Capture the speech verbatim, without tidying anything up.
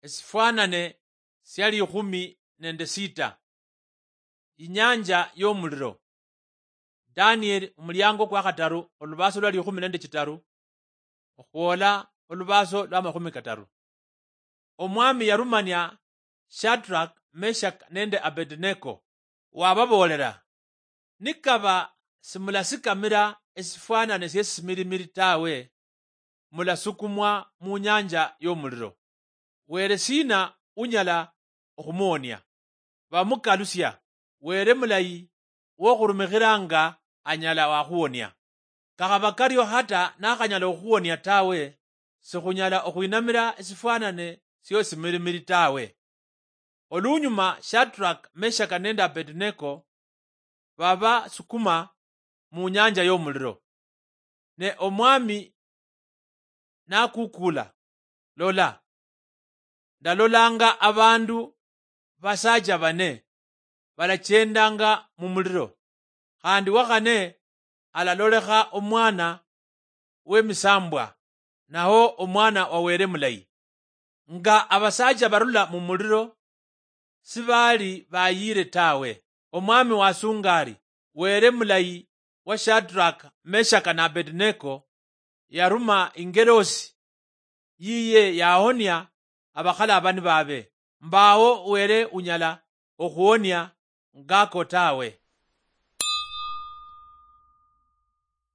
Esifwanane sia likhumi nende sita. Inyanja yomuliro. Danieli, omuliango kwa khataru, olubaso lwa likhumi nende chitaru okhwola olubaso lwa makhumi kataru. Omwami yarumania Shadrach, Meshach nende Abednego, wababoolera, "Nikaba simulasikamira esifwanane siesimirimiri tawe, mulasukumwa munyanja yomuliro. Were sina unyala okhumuwonia?" Bamukalusia, "Were mulayi wokhurumikhiranga anyala wakhuwonia. Kakhaba kario hata nakhanyala okhuwonia tawe, sikhunyala okhwinamira esifwanane siosimirimiri tawe." Olunyuma Shadrach, Meshach nende Abednego babasukuma munyanja yomuliro. Ne omwami nakukula, "Lola, ndalolanga abandu basacha bane balachendanga mumuliro, khandi wakhane alalolekha omwana wemisambwa, naho omwana wa Were mulayi." Nga abasacha barula mumuliro, sibali bayire tawe. Omwami wasunga ari, "Were mulayi wa Shadrach, Meshach na Abednego yaruma ingelosi yiye yahonia abakhalabani babe. Mbawo Were unyala okhuwonia ngako tawe."